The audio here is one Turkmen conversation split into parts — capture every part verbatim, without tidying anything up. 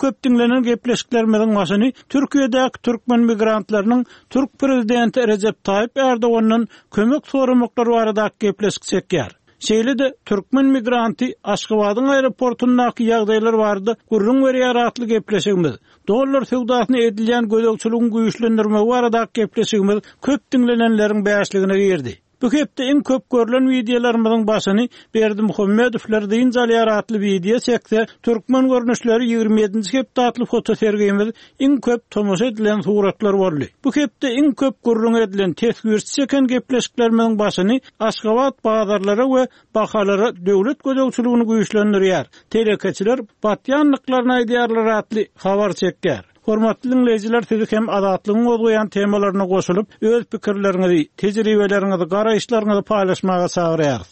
köp diňlenen gepleşiklerimiziň başyny Türkiýedäki türkmen migrantlarynyň türk prezidenti Rejep Taýyp Erdogandan kömek soramaklary baradaky gepleşik çekýär. Şeýle-de türkmen migranty Aşgabadyň aeroportundaky ýagdaýlar barada gürrüň berýär atly gepleşigimiz, dollar söwdasyna edilýän gözegçiligiň güýçlendirmegi baradaky gepleşigimiz köp diňlenenleriň bäşligine girdi. Bu hepde iň köp görülen wideolarymyzyň başyny Berdimuhamedowlar dynç alýar atly wideo çekse, türkmen görnüşleri ýigrimi ýedinji hepde atly fotosergimiz iň köp tomaşa edilen suratlar boldy. Bu hepde iň köp gürrüň edilen teswirçi çeken gepleşiklerimiziň başyny Aşgabat bazarlara we bahalara döwlet gözegçiligini güýçlendirýär, telekeçiler batýanlyklaryny aýdýarlar atly habar çekýär. Hormatly dinleýjiler, sizi hem Azatlygyň gozgaýan temalaryna goşulyp, öz pikirleriňizi, tejribeleriňizi, garaýyşlaryňyzy paýlaşmaga çagyrýarys.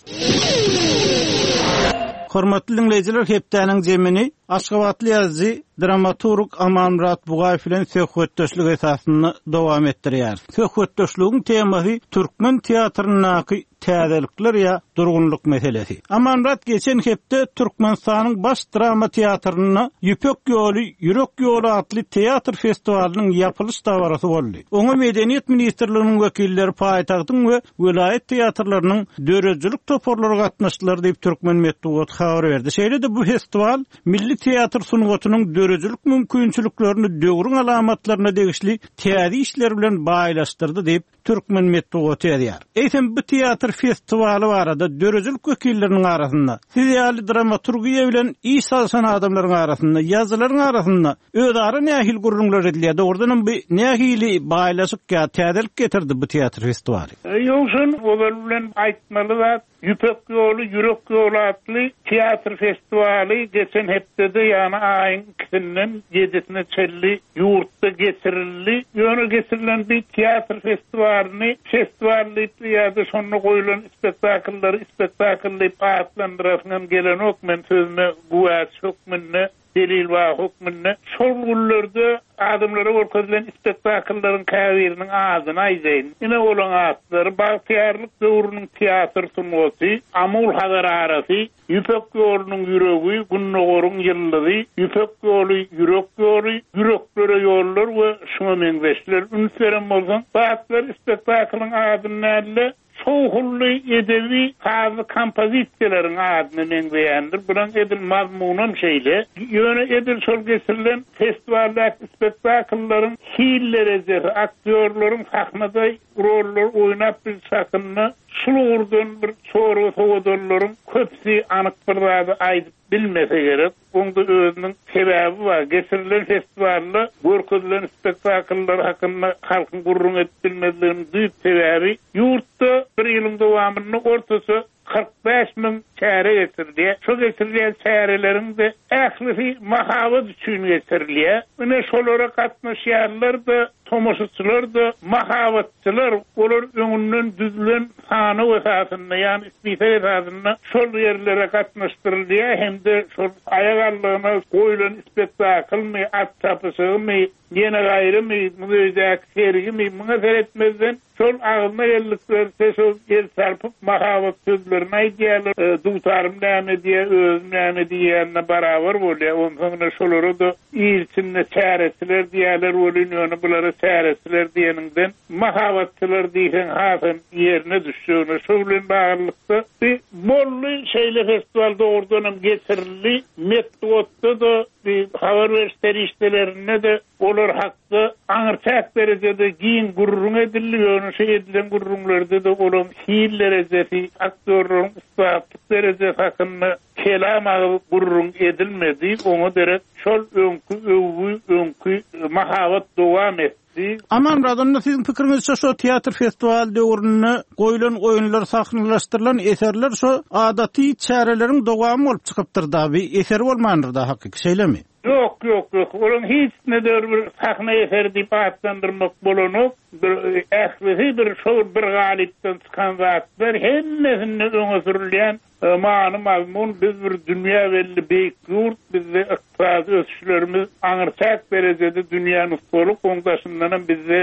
Hormatly dinleýjiler, hepdäniň jemini Aşgabatly ýazyjy, dramaturg Amanmyrat Bugaýew bilen söhbetdeşlik esasynda dowam etdirýäris. Söhbetdeşligiň temasy türkmen teatryndaky täzelikler ýa durgunlyk meselesi. Amanmyrat, geçen hepde Türkmenistanyň baş drama teatrynda Ýüpek ýoly, Ýürek ýoly atly teatr festiwalynyň ýapylyş dabarasy boldy. Oňa Medeniýet ministrliginiň wekilleri, paýtagtyň we welaýat teatrlarynyň döredijilik toparlary gatnaşdylar diýip türkmen metbugaty habar berdi. Şeýle-de bu festiwal milli teatr sungatynyň döredijilik mümkinçiliklerini döwrüň alamatlaryna degişli täze işler bilen baýlaşdyrdy diýip türkmen metbugaty ýazýar. Eýsem bu teatr festiwaly barada döredijilik wekilleriniň arasynda, siz ýaly dramaturgiýa bilen iş salşan adamlaryň arasynda, ýazyjylaryň arasynda özara nähili gürrüňler edilýär? Dogrudan hem bu nähili baýlaşyk ýa täzelik getirdi bu teatr festiwaly? Ýogşan ozal bilen aýtmaly zat, Ýüpek ýoly, Ýürek ýoly atly teatr festiwaly geçen hepdede, ýagny aýyň ikisinden ýedisine çenli ýurtda geçirildi. Ýöne geçirilen bir teatr festiwalyny festiwal diýip ýa-da şonda goýulan spektakllary spektakl diýip atlandyrasyňam gelenok, men sözüme güwäçi hökmünde, delil bar hökmünde. Şol günlerde adamlara görkezilen spektakllaryň käbiriniň adyny aýdaýyn. Ine olaň atlary: Bagtyýarlyk döwrüniň teatr sungaty, Amul Hazar arasy, Ýüpek ýolunyň ýüregi, Gündogaryň ýyldyzy, Ýüpek ýoly, Ýürek ýoly, Ýüreklere ýollar we şuňa meňzeşler. Üns beren bolsaň, bu atlar spektaklyň adyny däl-de, şowhunly edebi sazly kompozisiýalaryň adyna meňzeýändir. Bunuň edil mazmunam şeýle. Ýöne edil şol geçirilen festiwaldaky spektakllaryň hil derejesi, aktýorlaryň sahnada roller oýnap bilişi hakynda şul ugurdan bir çorba sowadanlaryň köpüsi anyk bir zady aýdyp bilmese gerek. Onda özüniň sebäbi bar. Geçirilen festiwalda görkezilen spektakllar hakynda halkyň gürrüň edip bilmezliginiň düýp sebäbi ýurtda bir ýylyň dowamynda ortaça kyrk bäş müň çäre geçirilýär. Şu geçirilýän çäreleriň de ählisi mahabat üçin geçirilýär. Ine şolara gatnaşýanlar da, tomaşaçylar da mahabatçylar, olar öňünden düzülen sanaw esasynda, ýagny ispisek esasynda şol ýerlere gatnaşdyrylýar hem-de şol aýak aldygyna goýulan spektaklmy, at çapyşygymy, ýene gaýrymy, muzeýdäki sergimi, muňa seretmezden şol agzyna geldikleri şol el çarpyp mahabat sözlerini aýdýarlar. E, dutarym näme diýe, özüm näme diýýänine barabar bolýar. Onsoň şolara da il içinde çäresiler diýerler welin, ýöne bulara çäresiler diýeniňden mahabatçylar diýseň hasam ýerine düşjegine. Şo bilen baglylykda bir bolly şeýle festiwal dogrudan hem geçirildi. Metbugatda da bir habar beriş serişdelerinde de olar hakda aňyrçäk derejede giň gürrüň edildi. Ýöne şu edilen gürrüňlerde de olaryň hil derejesi, aktýorlaryň ussatlyk derejesi hakynda kelam agyz gürrüň edilmedi. Oňa derek şol öňkü öwgü, öňkü mahabat dowam etdi. Amanmyrat, onda siziň pikiriňizçe şo teatr festiwal döwründe goýulan oýunlar, sahnalaşdyrylan eserler şo adaty çäreleriň dowamy bolup çykypdyr da, bir eser bolmandyr da hakyky, şeýlemi? Ýok, ýok, ýok. Olaryň hiç ne bir sahna eseri diýip atlandyrmak bolanok. Bir ählisi bir şol bir galypdan çykan zatlar hemmesinde öňe sürülýän Many-mazmun biz bir dünýä belli beýik ýurt, bizde ykdysady ösüşlerimiz aňyrçäk derejede dünýä nusgalyk, oň daşyndanam bizde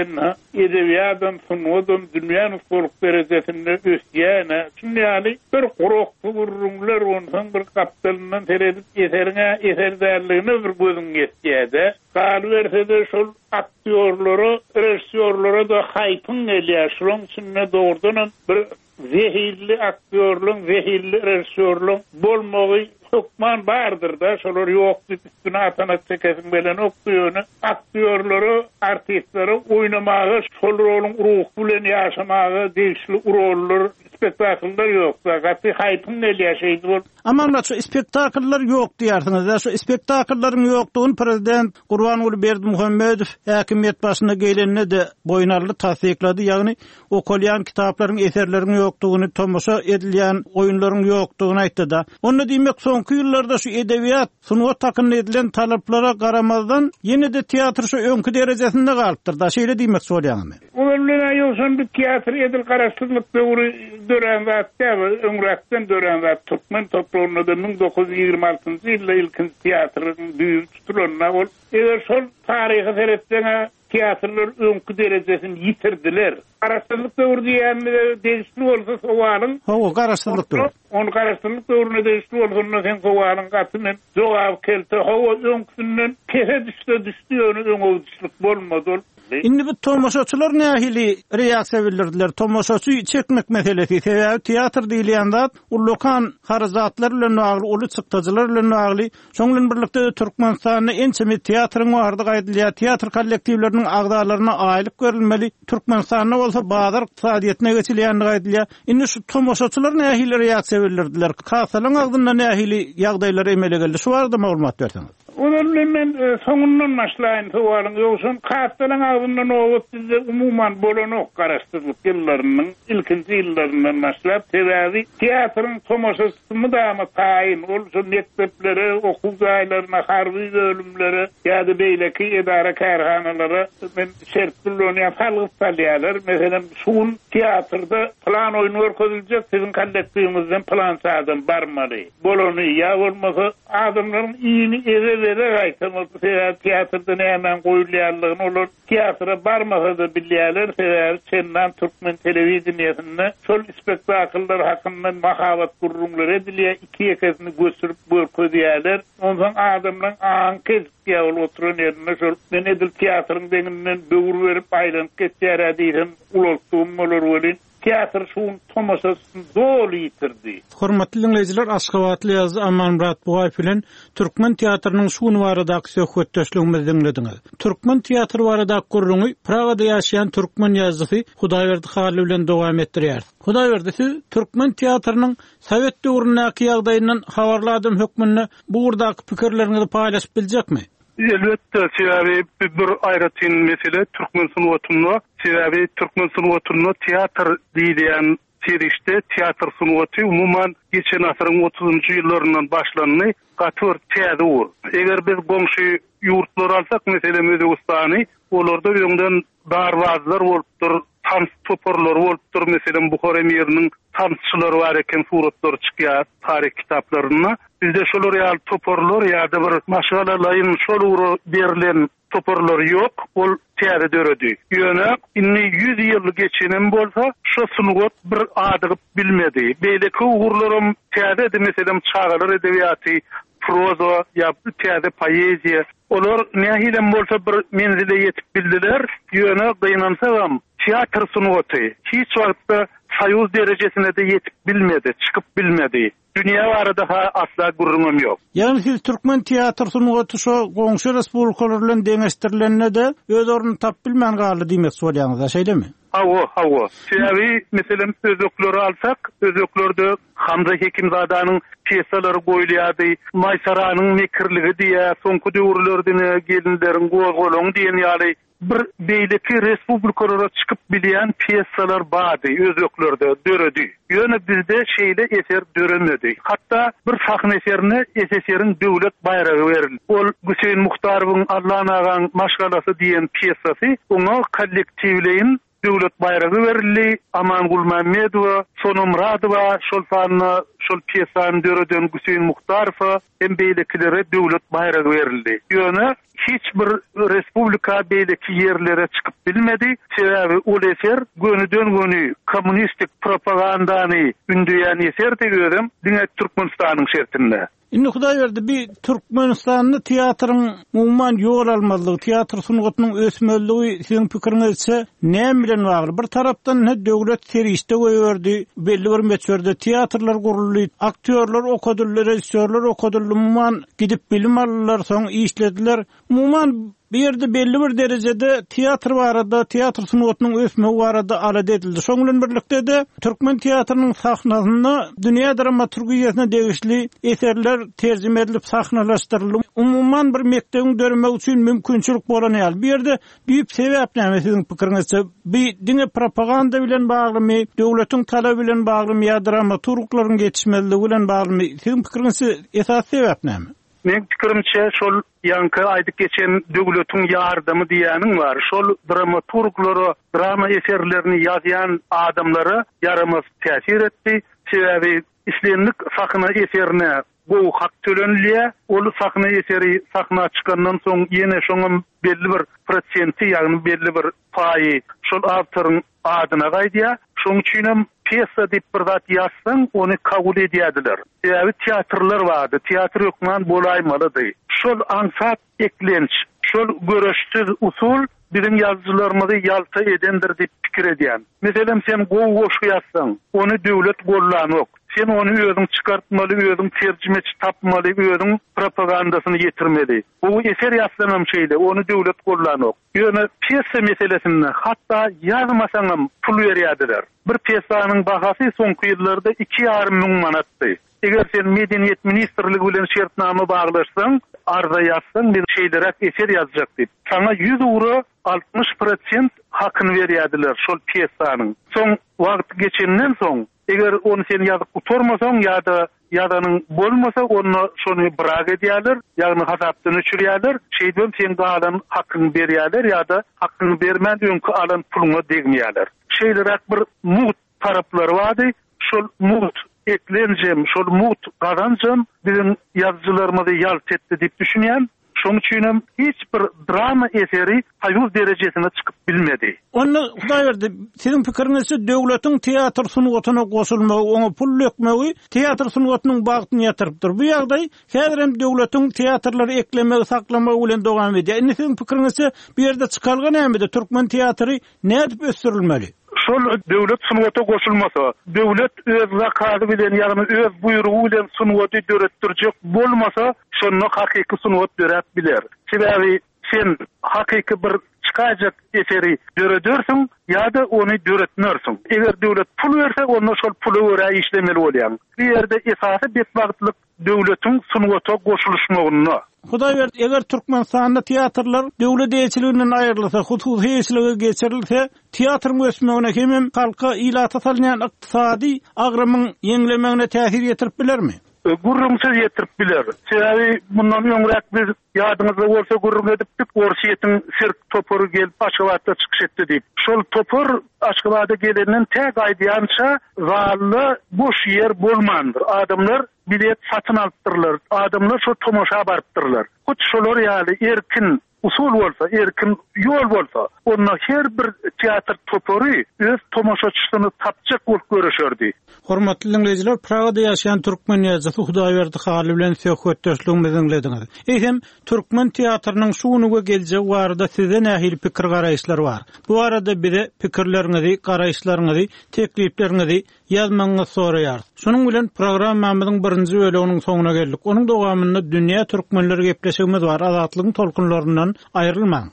edebiýadam, sungadam dünýä nusgalyk derejesinde ösýän. Şuny ýaly bir guraksy gürrüňler onsoň bir gapdalyndan seredip eseriňe eser dälligine bir gözüň ýetýär-de. Galyberse-de şol aktýorlara, režissýorlara-da haýpyň gelýär. Şunuň içinde dogrudanam bir zehilli aktýorlaryň, zehilli režissýorlaryň bolmagy hökman bardyr-da, şolar ýok diýip üstüne atanak çekesim gelenokdy ýöne aktýorlara, artistlere oýnamaga, şol roluň ruhy bilen ýaşamaga degişli rollar, spektakllar ýok-da. Gaty haýpyň gelýär şeýdi bol. Amanmyrat, şu spektakllar ýok diýersiňiz. Şu spektakllaryň ýokdugyny prezident Gurbanguly Berdimuhamedow häkimiýet başyna gelende-de boýun aldy, tassyklady. Ýagny okalýan kitaplaryň, eserleriň ýokdugyny, tomaşa edilýän oýunlaryň ýokdugyny aýtdy-da. Onda diýmek soňky ýyllarda şu edebiýat, sungat hakynda edilen talaplara garamazdan ýene-de teatr şu öňki derejesinde galypdyr-da. Şeýle diýmek bolýarmy? Ozal bilen ýogsan bir teatr edil garaşsyzlyk döwri dörän zat däl, öňräkden dörän zat. Türkmen topragynda da müň dokuz ýüz ýigrimi altynjy ýylda ilkinji teatryň düýbi tutulanda ol eger şol taryhy seretseň teatrlar öňki derejesini ýitirdiler. Garaşsyzlyk döwri diýenimize degişli bolsa sowalyň. Hawa, garaşsyzlyk döwri. Ony garaşsyzlyk döwrüne degişli bolsa onda sen sowalyň gaty men jogap kelte. Hawa, öňküsinden pese düşse düşdi, ýöne öňe gidişlik bolmady ol. Indi bu tomaşaçylar nähili reaksiýa bildirdiler? Tomaşaçy çekmek meselesi, sebäbi teatr diýilýän zat ullakan harajatlar bilen bagly, uly çykdajylar bilen bagly. Şonuň bilen birlikde Türkmenistanda ençeme teatryň bardygy aýdylýar. Teatr kollektiwleriniň agzalaryna aýlyk berilmeli. Türkmenistanda bolsa bazar ykdysadyýetine geçilýändigi aýdylýar. Indi şu tomaşaçylar nähili reaksiýa bildirdiler? Kasalaryň agzynda nähili ýagdaýlar emele geldi? Şu barada maglumat berseňiz. Ozal bilen men, e, soňundan başlaýyn sowalyň. Ýogsa kasalaryň agzynda nobat bizde umuman bolanok garaşsyzlyk ýyllarynyň ilkinji ýyllaryndan başlap, sebäbi teatryň tomaşaçysy mydama taýyn. Ol şu mekdeplere, okuw jaýlaryna, harby bölümlere ýa-da beýleki edara kärhanalara men şert bilen salgyt salýarlar. Meselem, şu gün teatrda plan oýun görkeziljek, siziň kollektiwiňizden plan adam barmaly. Bolany ýa bolmasa adamlaryň ýyny eve bere gaýtam, sebäbi teatrda nämäň goýulýanlygyny olar teatra barmasa-da bilýärler, sebäbi çendan türkmen telewideniýesinde şol spektakllar hakynda mahabat gürrüňleri edilýär, iki ýekesini göçürip görkezýärler. Onsoň adamlaryň aňy kesip ol oturan ýerinde şol men edil teatryň deňinden böwür berip aýlanyp geçýär diýsem ulaltdym bolar welin teatr şuň tomaşasyny doly ýitirdi. Hormatly dinleýjiler, Aşgabatly ýazyjy Amanmyrat Bugaýew bilen Türkmen teatrynyň şu gün baradaky söhbetdeşligimizi diňlediňiz. Türkmen teatry baradaky gürrüňi Pragada ýaşaýan türkmen ýazyjysy Hudaýberdi Hally bilen dowam etdirýär. Hudaýberdi, siz türkmen teatrynyň Sowet döwründäki ýagdaýyndan habarly adam hökmünde bu ugurdaky pikirleriňizi paýlaşyp biljekmi? Elbetde, sebäbi bir aýratyn mesele türkmen sungatynda, sebäbi türkmen sungatynda teatr diýilýän serişde, teatr sungaty umuman geçen asyryň otuzunjy ýyllaryndan başlandy, gaty bir täze ugur. Eger biz goňşy ýurtlary alsak, meselem Özbegistany, olarda öňden darbazlar bolupdyr, tans toparlary bolupdyr, meselem Buhara emiriniň tansçylary bar eken, suratlary çykýar taryh kitaplarynda. Bizde şolar ýaly toparlar ýa-da bir maşgalalaýyn şol ugra berlen toparlar ýok, ol täze döredi. Ýöne indi ýüz ýyl geçenem bolsa, şu sungat bir adygyp bilmedi. Beýleki ugurlarym täzedi, meselem çagalar edebiýaty, proza ýa täze poeziýa. Olar nähilem bolsa bir menzile ýetip bildiler. Ýöne gynansagam teatr sungaty hiç wagtda soýuz derejesine de ýetip bilmedi, çykyp bilmedi. Dünýä barada ha asla gürrüňim ýok. Ýagny siz türkmen teatr sungaty şo goňşy respublikalar bilen deňeşdirilende de öz ornuny tapyp bilmän galdy diýmek bolýaňyz, şeýlemi? Hawa, hawa. Sebäbi meselem özbekleri alsak, özbeklerde Hamza Hekimzadanyň pýesalary goýulýardy, Maýsaranyň mekirligi diýä, soňky döwürlerde gelinleriň gozgalaňy diýen ýaly bir beýleki respublikalara çykyp bilýän pýesalar bardy, özbeklerde döredi. Ýöne bizde şeýle eser döremedi. Hatda bir sahna eserine S S R-iň döwlet baýragy berildi. Ol Hüseýin Muhtarowyň Allan agaň maşgalasy diýen pýesasy oňa kollektiwleýin Döwlet baýragy berildi. Aman Gulmämmedowa, Sona Muradowa, şol sanda şol pýesany döreden Hüseýin Muhtarowa hem beýlekilere döwlet baýragy berildi. Ýöne hiç bir respublika beýleki ýerlere çykyp bilmedi. Sebäbi ol eser gönüden göni kommunistik propagandany ündeýän eserdi özem diňe Türkmenistanyň şertinde. Indi Hudaýberdi bir Türkmenistanda teatryň umuman ýol almazlygy, teatr sungatynyň ösmezligi siziň pikiriňizçe näme bilen bagly? Bir tarapdan ne döwlet serişde goýberdi, belli bir möçberde teatrlar guruldy, aktýorlar okadyldy, rejissýorlar okadyldy, umuman gidip bilim aldylar, soň işlediler. Umuman bir ýerde belli bir derejede teatr barada, teatr sungatynyň ösmegi barada alada edildi. Şoň bilen birlikde de türkmen teatrynyň sahnasynda dünýä dramaturgiýasyna degişli eserler terjime edilip sahnalaşdyryldy. Umuman bir mekdebiň döremegi üçin mümkinçilik bolan ýaly. Bu ýerde büyük sebäp näme siziň pikiriňizçe? Bir diňe propaganda bilen baglymy, döwletiň talaby bilen baglymy ýa dramaturglaryň ýetişmezligi bilen baglymy? Siziň pikiriňizçe esas sebäp näme? Men pikirimçe şol ýanky aýdyp geçen döwletiň ýardamy diýeniň bar. Şol dramaturglara, drama eserlerini ýazýan adamlara ýaramaz täsir etdi. Sebäbi islendik sahna eserine gowy hak tölenilýär. Ol sahna eseri sahna çykandan soň ýene şoňam belli bir prosenti, ýagny belli bir paýy şol awtoryň adyna gaýdýar. Şoň üçin hem pýesa diýip bir zat ýazsaň, ony kabul edýärdiler. Sebäbi teatrlar bardy, teatr hökman bolaýmalydy. Şol aňsat eklenç, şol göreşsiz usul biziň ýazyjylarymyzy ýalta edendir diýip pikir edýän. Meselem, sen gowy goşgy ýazsaň, ony döwlet gollanok. Sen ony özüň çykartmaly, özüň terjimeçi tapmaly, özüň propagandasyny ýetirmeli. Bu eser ýazsaňam şeýle, ony döwlet gollanok. Ýöne pýesa meselesinde hatda ýazmasaňam pul berýärdiler. Bir pýesanyň bahasy soňky ýyllarda iki ýarym müň manatdy. Eger sen Medeniýet Ministrligi bilen şertnama baglaşsaň, arza ýazsaň, men şeýleräk eser ýazjak diýip, saňa ýüz ura altmyş prosent hakyny berýärdiler şol pýesanyň. Soň wagt geçenden soň, eger ony sen ýazyp gutarmasaň ýa-da ýazanyň bolmasa, onda şony bırak edýärler, ýagny hasapdan öçürýärler, şeýdip sen galan hakyny berýärler ýa-da hakyny bermän öňki alan puluňa degmeýärler. Şeýleräk bir mugt taraplary bardy. Şol mugt eklenjem, şol mugt gazanjam biziň ýazyjylarymyzy ýalt etdi diýip düşünýän. Şoň üçin hem hiç bir drama eseri Soýuz derejesine çykyp bilmedi. Onda Hudaýberdi, siziň pikiriňizçe döwletiň teatr sungatyna goşulmagy, oňa pul dökmegi teatr sungatynyň bagtyny ýatyrypdyr. Bu ýagdaý häzir hem döwletiň teatrlary eklemegi, saklamagy bilen dowam edýär. Indi siziň pikiriňizçe bu ýerde çykalga nämede? Türkmen teatry nädip ösdürilmeli? Şol döwlet sungata goşulmasa, döwlet öz zakazy bilen, ýagny öz buýrugy bilen sungaty döretdirjek bolmasa, şonda hakyky sungat döräp biler. Sebäbi sen hakyky bir çykajak eseri döredersiň ýa-da ony döretmersiň. Eger döwlet pul berse, onda şol pula görä işlemeli bolýaň. Bu ýerde esasy betbagtlyk döwletiň sungata goşulyşmagynda. Hudaýberdi, eger Türkmenistanda teatrlar döwlet eýeçiliginden aýrylsa, hususy eýeçilige geçirilse, teatryň ösmegine hemem halka ilata salynýan ykdysady agramyň ýeňlemegine täsir ýetirip bilermi? E, gürrüňsiz ýetirip biler. Sebäbi bundan öňräk biz ýadyňyzda bolsa gürrüň edipdik, Orsýetiň sirk topary gelip Aşgabatda çykyş etdi diýip. Şol topar Aşgabada gelenden tä gaýdýança zalda boş ýer bolmandyr. Adamlar bilet satyn alypdyrlar. Adamlar şo tomaşa barypdyrlar. Hut şolar ýaly erkin usul bolsa, erkin ýol bolsa, onda her bir teatr topary öz tomaşaçysyny tapjak bolup görüşerdi. Hormatly dinleýjiler, Pragada ýaşaýan türkmen ýazyjysy Hudaýberdi Hally bilen söhbetdeşligimizi dinlediňiz. Eýsem, türkmen teatrynyň şu güni we geljegi barada size nähili pikir garaýyşlar bar? Bu arada bize pikirleriňizi, garaýyşlaryňyzy, teklipleriňizi ýazmagyňyzy soraýarys. Şonuň bilen programmamyzyň birinji bölüminiň soňuna geldik. Onuň dowamynda dünýä türkmenleri gepleşigimiz bar. Azatlygyň tolkunlaryndan aýrylmaň.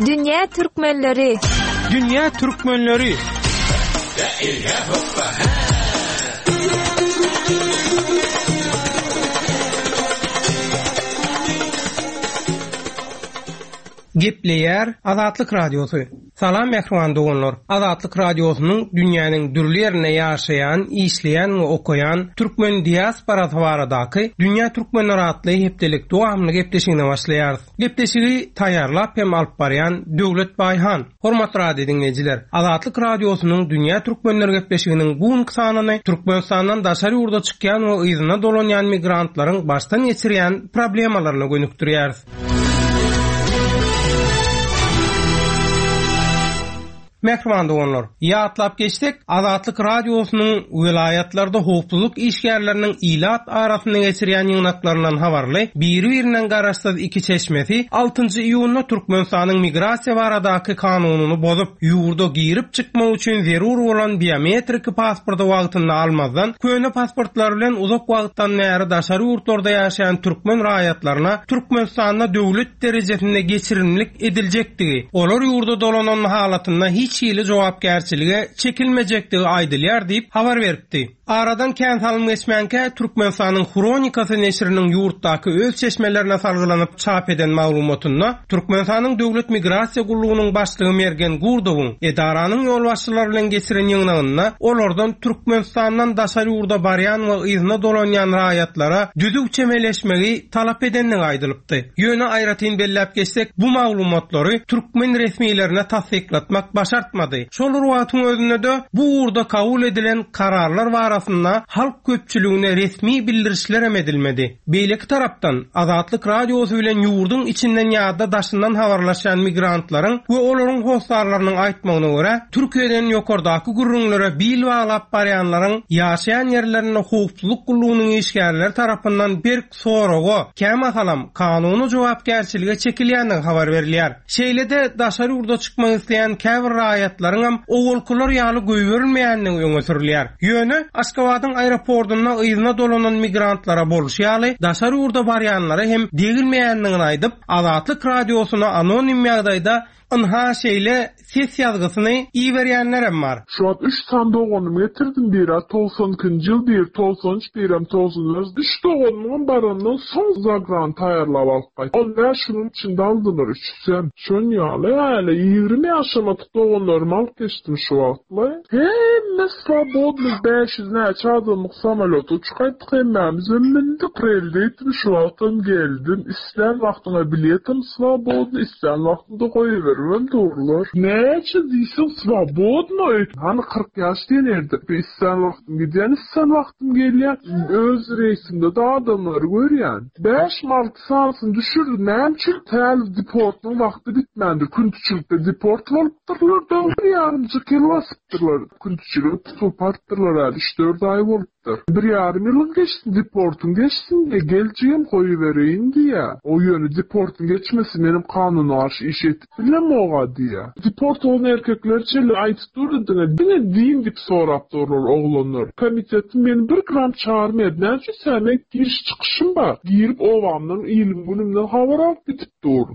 Dünya Türkmenleri. Dünya Türkmenleri. Gepleýär Azatlyk Radiosy. Salam mähriban doganlar. Azatlyk radiosynyň dünýäniň dürli ýerinde ýaşaýan, işleýän we okaýan türkmen diasporasy baradaky Dünýä Türkmenleri atly hepdelik dowamly gepleşigine başlaýarys. Gepleşigi taýýarlap hem alyp barýan Döwlet Baýhan. Hormatly radio diňleýjiler, Azatlyk radiosynyň Dünýä Türkmenleri gepleşiginiň bu günki sanyny Türkmenistandan daşary ýurda çykýan we yzyna dolanýan migrantlaryň başdan geçirýän problemalaryna gönükdirýäris. Mähriban doganlar, ýatlap geçsek, Azatlyk radiosynyň welaýatlarda howpsuzlyk işgärleriniň ilat arasynda geçirýän ýygnaklaryndan habarly biri-birinden garaşsyz iki çeşmesi altynjy iýunda Türkmenistanyň migrasiýa baradaky kanunyny bozup, ýurda girip çykmak üçin zerur bolan biometrik pasporty wagtynda almazdan, köne pasportlar bilen uzak wagtdan bäri daşary ýurtlarda ýaşaýan türkmen raýatlaryna Türkmenistanda döwlet derejesinde geçirimlik ediljekdigi, olar ýurda dolanan halatynda hiç hili jogapkärçilige çekilmejekdigi aýdylýar diýip habar beripdi. Aradan kän salym geçmänkä Türkmenistanyň Hronikasy neşiriniň ýurtdaky öz çeşmelerine salgylanyp çap eden maglumatynda Türkmenistanyň Döwlet Migrasiýa Gullugynyň başlygy Mergen Gurdowyň edaranyň ýolbaşçylary bilen geçiren ýygnagynda olardan Türkmenistandan daşary ýurda barýan we yzyna dolanýan raýatlara düzüw çemeleşmegi talap edendigi aýdylypdy. Ýöne aýratyn belläp geçsek, bu maglumatlary türkmen resmilerine tassyklatmak başartmady. Şol wagtyň özünde de bu ugurda kabul edilen kararlar barasynda halk köpçüligine resmi bildirişler hem edilmedi. Beýleki tarapdan Azatlyk radiosy bilen ýurduň içinden ýa-da daşyndan habarlaşan migrantlaryň we olaryň hossarlarynyň aýtmagyna görä, Türkiýeden ýokardaky gürrüňlere bil baglap barýanlaryň ýaşaýan ýerlerinde howpsuzlyk gullugynyň işgärleri tarapyndan berk soraga, kämahalam kanuny jogapkärçilige çekilýändigi habar berilýär. Şeýle-de daşary ýurda çykmak isleýän käbir raýatlaryň hem owalkylar ýaly goýberilmeýändigi öňe sürülýär. Ýöne Aşgabadyň aeroportunda yzyna dolanan migrantlara bolşy ýaly daşary ýurda barýanlara hem degilmeýändigini aýdyp, Azatlyk radiosyna anonim ýagdaýda ynha şeýle ses ýazgysyny iberýänler hem bar. Şu an üç tane doganım getirdim, biri togsan ikinji ýyl, biri togsan üç, birem togsan dört. Üç doganymyň barandan soň zagran taýýarlap alyp gaýtdym. On bäş günüň içinde aldylar üçüsem. Şon ýaly, häli ýigrimi ýaşamadyk doganlarymy alyp geçdim şu wagtlaý. Hemme slobodny bäş ýüz näçe adamlyk samolýota uçup gaýtdyk, hemmämiz mündik. Aprelde etdim, şu wagtam geldim. Islän wagtyňa biletim slobodny, islän wagtynda goýbermem durlar. Näçe diýseň slobodny. Hani kyrk ýaş diýen ýerde. Islän wagtym gidýän, islän wagtym gelýän. Öz reýsimde de adamlary görýän. Bäş alty sanysyny düşürdüm. Näme üçin täl deportyň wagty bitmändir. Küntüçilikde deport bolupdyrlar da bir ýarymjyk ýyl basypdyrlar. Küntüçilik tutup artdyrlar äli üç dört aý bolupdyr. Bir ýarym ýylyň geçsin, deportyň geçsin diýe geljegem goýbereýin diýe. O ýöne deportyň geçmesi benim kanuny garşy iş etip bilem oga diýe. Deport olan erkekler çeli aýtyp durdy diňe, diňe din diýip sorap durlar oglanlar. Komitetim meni bir gram çağırmaýar. Näme üçin sen men giriş çykyşym bar. Girip obamdan ilim günümden habar alyp gidip dur.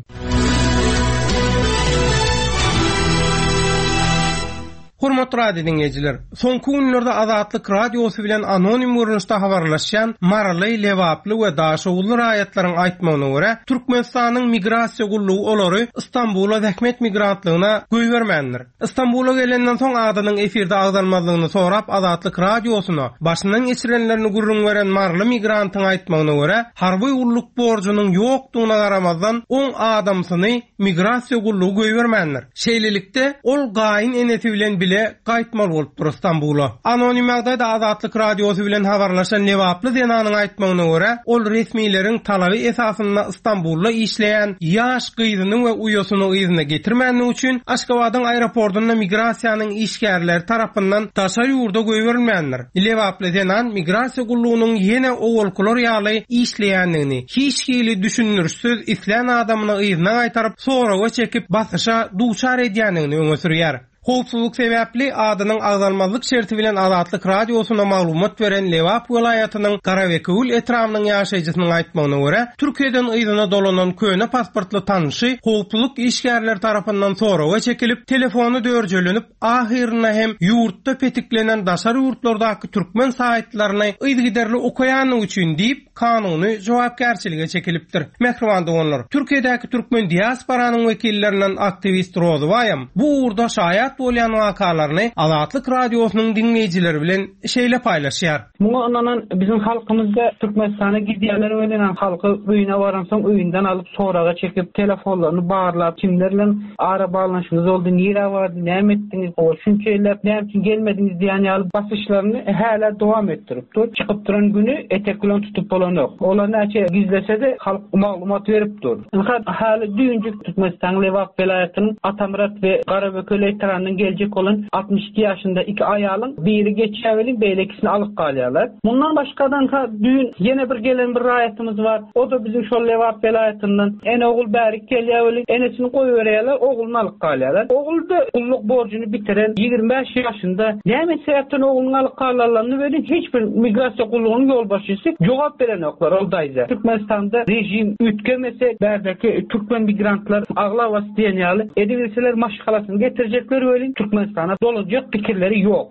Hormatly radio dinleýjiler, soňky günlerde Azatlyk radiosy bilen anonim görnüşde habarlaşýan Maryly, Lebaply we Daşoguzly raýatlaryň aýtmagyna görä, Türkmenistanyň migrasiýa gullugy olary Istanbula zähmet migrantlygyna goýbermändir. Istanbula gelenden soň adynyň efirde agzalmazlygyny sorap Azatlyk radiosyna başyndan geçirenlerini gürrüň beren Maryly migrantyň aýtmagyna görä, harby gulluk borjunyň ýokdugyna garamazdan on adamsyny migrasiýa gullugy goýbermändir. Şeýlelikde ol gaýyn enesi bilen bile gaýtmaly bolupdyr Istanbula. Anonim ýagdaýda Azatlyk radiosy bilen habarlaşan Lebaply zenanyň aýtmagyna görä, ol resmileriň talaby esasynda Istanbulda işleýän ýaş gyzyny we uýasyny yzyna getirmänligi üçin Aşgabadyň aeroportunda migrasiýanyň işgärleri tarapyndan daşary ýurda goýberilmändir. Lebaply zenan migrasiýa gullugynyň ýene owalkylar ýaly işleýändigini, hiç hili düşündirişsiz islän adamyny yzyna gaýtaryp, soraga çekip basyşa duçar edýändigini öňe sürýär. Howpsuzlyk sebäpli adynyň agzalmazlyk şerti bilen Azatlyk Radiosyna maglumat beren Lebap welaýatynyň Garabekewül etrabynyň ýaşaýjysynyň aýtmagyna görä, Türkiýeden yzyna dolanan köne pasportly tanyşy howpsuzlyk işgärleri tarapyndan soraga çekilip, telefony dörjelenip, ahyrynda hem ýurtda petiklenen daşary ýurtlardaky türkmen saýtlaryny yzygiderli okaýanlygy üçin diýip, kanuny jogapkärçilige çekilipdir. Mähriban doganlar, Türkiýedäki türkmen diasporanyň wekillerinden aktiwist Rozybaýam bu ugurda şaýat bolýan wakalaryny Azatlyk Radiosynyň diňleýjileri bilen şeýle paýlaşýar. Muňa ynanan bizim halkymyzda Türkmenistana gidýänler welin halky öýüne baransoň öýünden alyp soraga çekip telefonlaryny barlap kimler bilen ara baglanyşyňyz oldy, nirä bardy, näme etdiňiz, o şunça ýyllap näme üçin gelmediňiz diýen ýaly basyşlaryny hälä dowam etdirip dur. Çykyp duran günü etek bilen tutup bolanok. Olar näçe gizlese-de halk maglumat berip dur. Ynha häli düýnjük Türkmenistan Lebap welaýatynyň Atamyrat we Garabekewül etrabynyň geljek olan altmyş iki ýaşynda iki aýalyň biri geçýär, beýlekisini alyp galýarlar. Mundan başgadan ha düýn ýene bir gelen bir raýatymyz bar. O da bizim şol Lebap welaýatyndan. Ene ogul bärik gelýär welin, enesini goýberýärler, ogluny alyp galýarlar. Ogul da gulluk borjuny bitiren ýigrimi bäş ýaşynda näme sebäpden ogluny alyp galarlaryny welin hiç bir migrasiýa gullugynyň ýolbaşçysy jogap berenoklar ol daýza. Türkmenistanda rejim üýtgemese, bärdäki türkmen migrantlar aglabasy diýen ýaly edibilseler maşgalasyny getirjekler welin Türkmenistana dolanjak pikirleri ýok.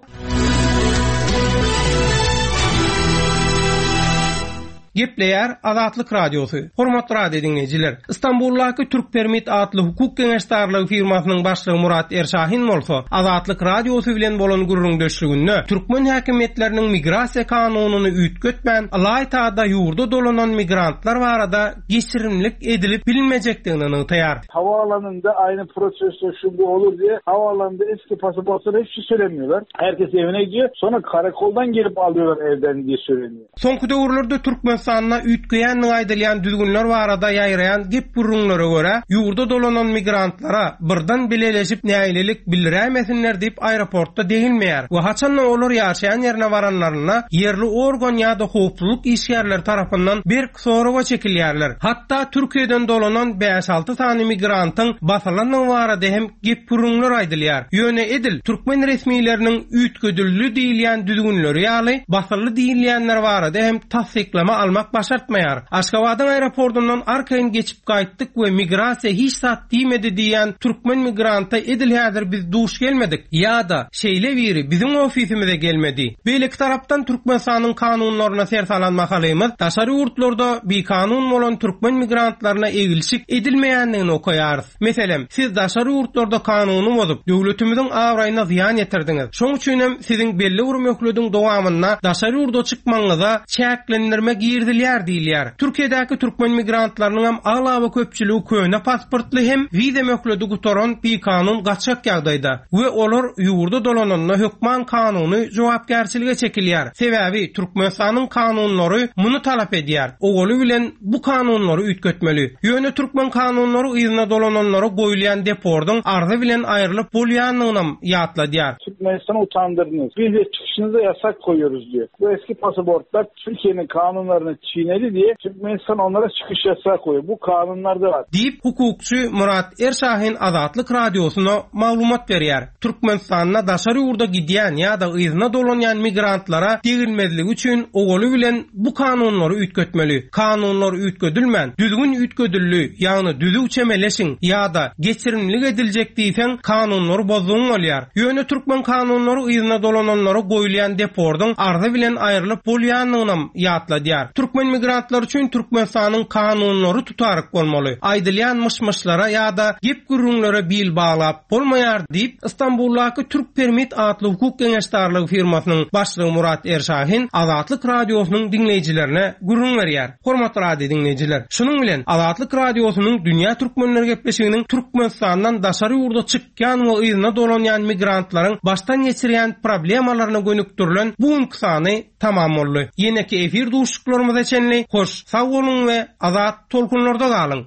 Gepleýär Azatlyk Radiosy. Hormatly radio dinleýjiler, Istanbuldaky Türk Permit atly hukuk geňeşdarlygy firmasynyň başlygy Murat Erşahin bolsa, Azatlyk Radiosy bilen bolan gürrüňdeşliginde türkmen häkimiýetleriniň migrasiýa kanunyny üýtgetmän, Alaytada ýurda dolanan migrantlar barada geçirimlik edilip bilinmejekdigini nygtaýar. Havaalanında aynı prosesle şu bu olur diye havaalanında eski pasaportları hiçbir şey söylemiyorlar. Herkes evine gidiyor. Sonra karakoldan gelip alıyorlar evden diye söyleniyor. Soňky döwürlerde Türkmenistanda üýtgeýän aýdylýan düzgünler barada ýaýraýan gep gürrüňlere görä, ýurda dolanan migrantlara birden bileleşip nägilelik bildirämesinler diýip aeroportda degilmeýär we haçanda olar ýaşaýan ýerine baranlarynda ýerli organ ýa-da howpsuzlyk işgärleri tarapyndan berk soraga çekilýärler. Hatda Türkiýeden dolanan bäş alty sany migrantyň basylandygy barada hem gep gürrüňler aýdylýar. Ýöne edil türkmen resmileriniň üýtgedildi diýilýän düzgünleri ýaly basyldy diýilýänler barada hem tassyklama almak başartmaýar. Aşgabadyň aeroportundan arkaýyn geçip gaýtdyk we migrasiýa hiç zat diýmedi diýen türkmen migranta edil häzir biz duş gelmedik ýa-da şeýle biri biziň ofisimize gelmedi. Beýleki tarapdan Türkmenistanyň kanunlaryna ser salan mahalymyz daşary ýurtlarda bikanun bolan türkmen migrantlaryna egilşik edilmeýändigini okaýarys. Meselem, siz daşary ýurtlarda kanuny bozup, döwletimiziň abraýyna zyýan ýetirdiňiz. Şoň üçin hem siziň belli bir möhlediň dowamynda daşary ýurda çykmagyňyza çäklendirme girizilýär diýilýär. Türkiýedäki türkmen migrantlarynyň hem aglaba köpçüligi köne pasportly hem wiza möhledi gutaran bikanun gaçak ýagdaýda we olar ýurda dolananda hökman kanuny jogapkärçilige çekilýär. Sebäbi Türkmenistanyň kanunlary muny talap edýär. Owaly bilen bu kanunlary üýtgetmeli. Ýöne türkmen kanunlary yzyna dolananlara goýulýan depordyň arzy bilen aýrylyp bolýanlygynam ýatladýar. Türkmenistan'ı utandırdınız. Biz de çıkışınıza yasak koyuyoruz diyor. Bu eski pasaportlar Türkiye'nin kanunlarını çiğnedi diye Türkmenistan onlara çıkış yasağı koyuyor. Bu kanunlarda var. Deyip hukukçy Murat Erşahin Azatlyk Radiosyna maglumat berýär. Türkmenistanda daşary ýurda gidýän ýa-da yzyna dolanýan migrantlara degilmezligi üçin owaly bilen bu kanunlary üýtgetmeli. Kanunlar üýtgedilmän, düzgün üýtgedildi, ýagny düzüw çemeleşiň ýa-da geçirimlik ediljek diýseň kanunlary bozdugyň bolýar. Ýöne türkmen kanunlary yzyna dolananlara goýulýan depordyň arzy bilen aýrylyp bolýanlygynam ýatladýar. Türkmen migrantlary üçin Türkmenistanyň kanunlary tutaryk bolmaly. Aýdylýan myş-myşlara ýa-da gep gürrüňlere bil baglap bolmaýar diýip Istanbuldaky Türk Permit atly hukuk geňeşdarlygy firmasynyň başlygy Murat Erşahin Azatlyk Radiosynyň diňleýjilerine gürrüň berýär. Hormatly radio diňleýjiler, şunuň bilen Azatlyk Radiosynyň Dünýä Türkmenleri gepleşiginiň Türkmenistandan daşary ýurda çykýan we yzyna dolanýan migrantlaryň başdan geçirýän problemalaryna gönükdirilen bu günki sany tamam boldy. Ýeneki efir duşuşyklarymyza çenli hoş, sag boluň we azat tolkunlarda galyň.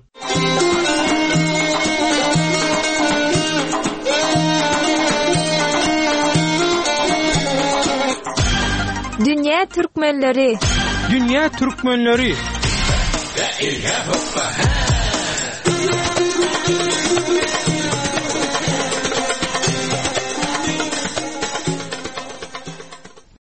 Dünýä Türkmenleri. Dünýä Türkmenleri. La ilaha